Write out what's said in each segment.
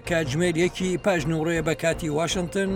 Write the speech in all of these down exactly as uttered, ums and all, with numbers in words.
کاتژمێر یەکی پاش نیوەڕۆیە بە کاتی واشنتن،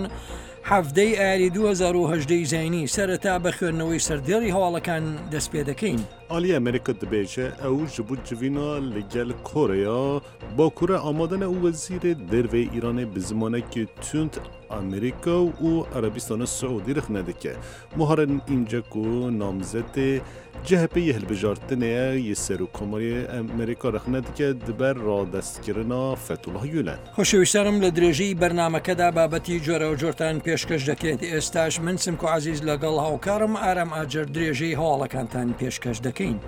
حەڤدەی ئایاری دوو هەزار و هەژدە ی زایینی. سەرەتا بە خوێندنەوەی سەردێڕی هەواڵەکان دەست پێ دەکەین. Aliyê Amerîka dibêje ew ji bo civîna li gel Koreya Bakurê amade ne û wezîrê derveyê Îranê bi zimanekî tund Amerîka û Erebistana Siûdî rexne dike. Muharrem Înce ku namzetê C H P yê hilbijartinê ye yê Serokkomarê Amerîka rexne dike di ber radestkirina Fethullah Gülen. خۆشەویستانم، لە درێژەی بەرنامەکەدا بابەتی جۆراوجۆرتان پێشکەش دەکرێت. ئێستاش من سمکۆ عەزیز لەگەڵ هاوکارم ئارام ئاجەر درێژەی هەواڵەکانتان پێشکەش دەکەین.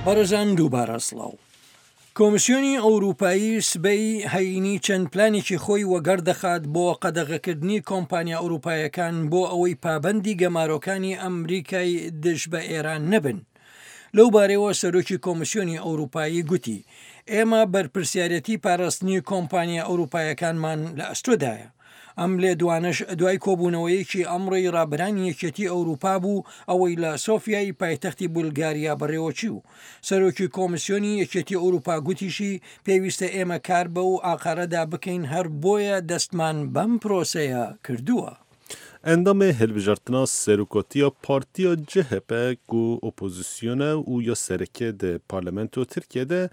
بەڕێزان دووبارە سڵاو. کۆمیسیۆنی ئەوروپایی سبەی هەینی چەند پلانێکی خۆی وەگەڕ دەخات بۆ قەدەغەکردنی کۆمپانیا ئەوروپایەکان بۆ ئەوەی پابەندی گەمارۆکانی ئەمریکای دژ بە ئێران نەبن. لەو بارەیەوە سەرۆکی کۆمیسیۆنی ئەوروپایی گوتی ئێمە بەرپرسیارەتی پاراستنی کۆمپانیا ئەوروپایەکانمان لە ئەستۆدایە. ئەم لێدوانەش دوای کۆبوونەوەیەکی ئەمڕۆی ڕابەرانی یەکێتی ئەوروپا بوو، ئەوەی لە سۆفیای پایتەختی بولگاریا بەڕێوەچی و سەرۆکی کۆمیسیۆنی یەکێتی ئەوروپا گوتیشی پێویستە ئێمە کار بەو ئاقارەدا بکەین، هەر بۆیە دەستمان بەم پرۆسەیە کردووە. Endamê hilbijartina Serokatiya Partiya C H P ku opozîsyon e û ya sereke di parlamento Tirkiye de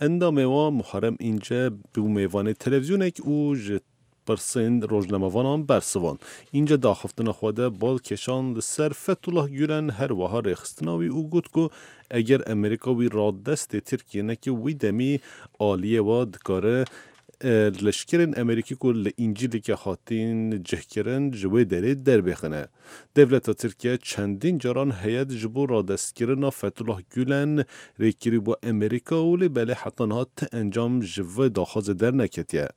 endamê wan Muharrem Înce bû mêvanê televîzyonek û ji pirsên rojnamevanan bersivand. Înce di axaftina xwe de bal kêşand li ser Fethullah Gülen her wiha rêxistina wî û got ku eger Amerîka wî radestê Tirkiye neke wî demî aliyê we dikare leşkerên Amerîkî ku li Încîlîkê hatîn cihkirin ji wê derê derbêxine. Dewleta Tirkiye çendîn caran heyet ji bo radestkirina Fethullah Gülen rêkirî bû Amerîka û lê belê heta niha ti encam ji vê daxwazê derneketiye.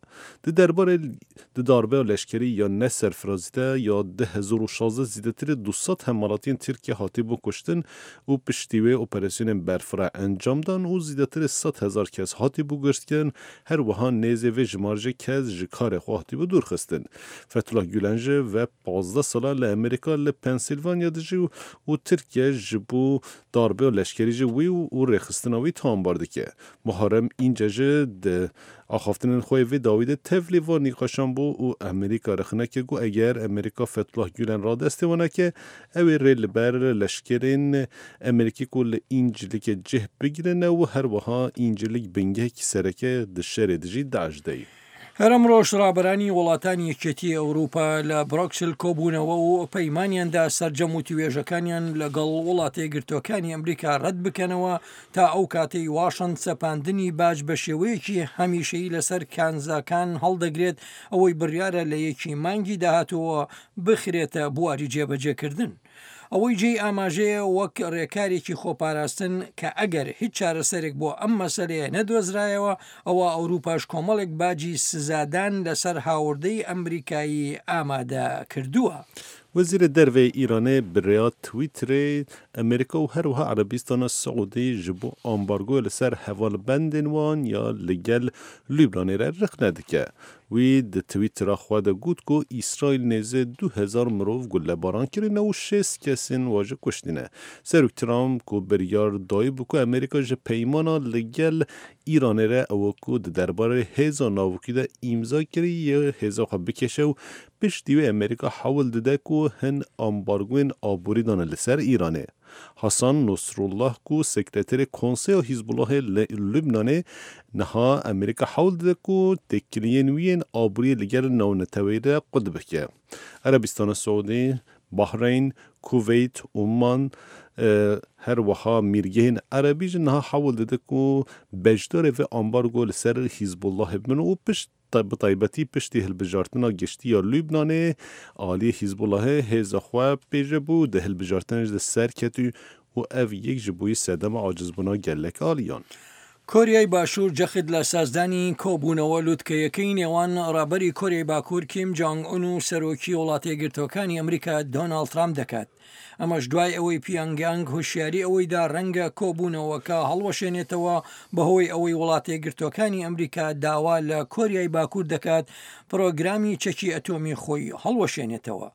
Di derbarê di darbeya leşkerî ya ne serfirazî de ya du hezar û şazdeh zêdetirê du sed hemwelatiyên Tirkiye hatibû kuştin û piştî wê operasyonên berfireh encam dan û zêdetirê sed hezar kes hatibû girtin, her wiha nêzê vê jimarjê kes ji karê xwe hatibû dûrxistin. Fethullah Gülen jî ve pazdeh sala li Amerîka li Pensilvanya dijî û Tirkiye ji bo darbeya leşkerî jî wî û rêxistina wî tawanbar dike. Muharrem Înce jî di axaftinên xwe vê dawî de tevlî van nîqaşan bû û Amerîka rexne kir ku eger Amerîka Fethullah Gülen radestê wan neke ew ê rê li ber leşkerên Amerîkî ku li Încîlîkê cih bigirine û her wiha Încîlîk bingehekî sereke di şerê dijî DAIŞ de ye. هەر ئەمڕۆش ڕابەرانی وڵاتانی یەکێتی ئەوروپا لە برۆکسل کۆبوونەوە و پەیمانیاندا سەرجەم وتوێژەکانیان لەگەڵ وڵاتە یەکگرتووەکانی ئەمریکا ڕەت بکەنەوە تا ئەو کاتەی واشنتن سەپاندنی باج بە شێوەیەکی هەمیشەیی لەسەر کانزاکان هەڵدەگرێت، ئەوەی بڕیارە لە یەکی مانگی داهاتووە بخرێتە بواری جێبەجێکردن. ئەوەی جێی ئاماژەیە وەک ڕێکارێکی خۆپاراستن کە ئەگەر هیچ چارەسەرێک بۆ ئەم مەسەلەیە نەدۆزرایەوە، ئەوە ئەوروپاش کۆمەڵێک باجی سزادان لەسەر هاوردەی ئەمریکایی ئامادە کردووە. Wezîrê Derveyê Îranê bi rêya Twitterê Amerîka û her wiha Erebistana Siûdî ji bo ambargoya li ser hevalbendên wan ya li gel Lubnanê re rexne dike. Wî di Twittera xwe de got ku Îsraîl nêzî du hezar mirov gulebaran kirine û şêst kesên wan jî kuştine. Serok Trump ku biryar dayî ku Amerîka ji peymana li gel Îranê re ew ku di derbarê hêza navokî de îmza kiriye hêza xwe bikêşe û piştî wê Amerîka hewl dide ku hin ambargoyên aborî dane li ser Îranê. Hasan Nasrullah ku sekreterê Konseya Hizbullahê li Lubnanê niha Amerîka hewl dide ku têkiliyên wî yên aboriyê li gel navneteweyî re qut bike. Erebistana Siûdî, Bahreyn, Kuveyt, Umman her wiha mîrgehên Erebî jî niha hewl dide ku beşdarê vê ambargo li ser Hizbullahê bibin û pişt bi taybetî piştî hilbijartina giştî ya Lubnanê aliyê Hizbullahê hêza xwe pêje bû di hilbijartinê de serket û ev yek ji bûyî sedema acizbûna gelek aliyan. کۆریای باشوور جەخت لە سازدانی کۆبوونەوە لوتکەیەکەی نێوان ڕابەری کۆریای باکوور کیم جانگ ئون و سەرۆکی وڵاتە یەکگرتووەکانی ئەمریکا دۆناڵد ترامپ دەکات. ئەمەش دوای ئەوەی پیانگیانگ هۆشیاری ئەوەیدا ڕەنگە کۆبوونەوەکە هەڵوەشێنێتەوە بەهۆی ئەوەی وڵاتە یەکگرتووەکانی ئەمریکا داوا لە کۆریای باکوور دەکات پرۆگرامی چەکی ئەتۆمی خۆی هەڵوەشێنێتەوە.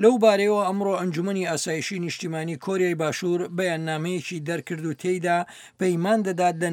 لەو بارەیەوە ئەمڕۆ ئەنجومەنی ئاسایشی نیشتیمانی کۆریای باشوور بەیاننامەیەکی دەرکرد و تێیدا پەیمان دەدات لە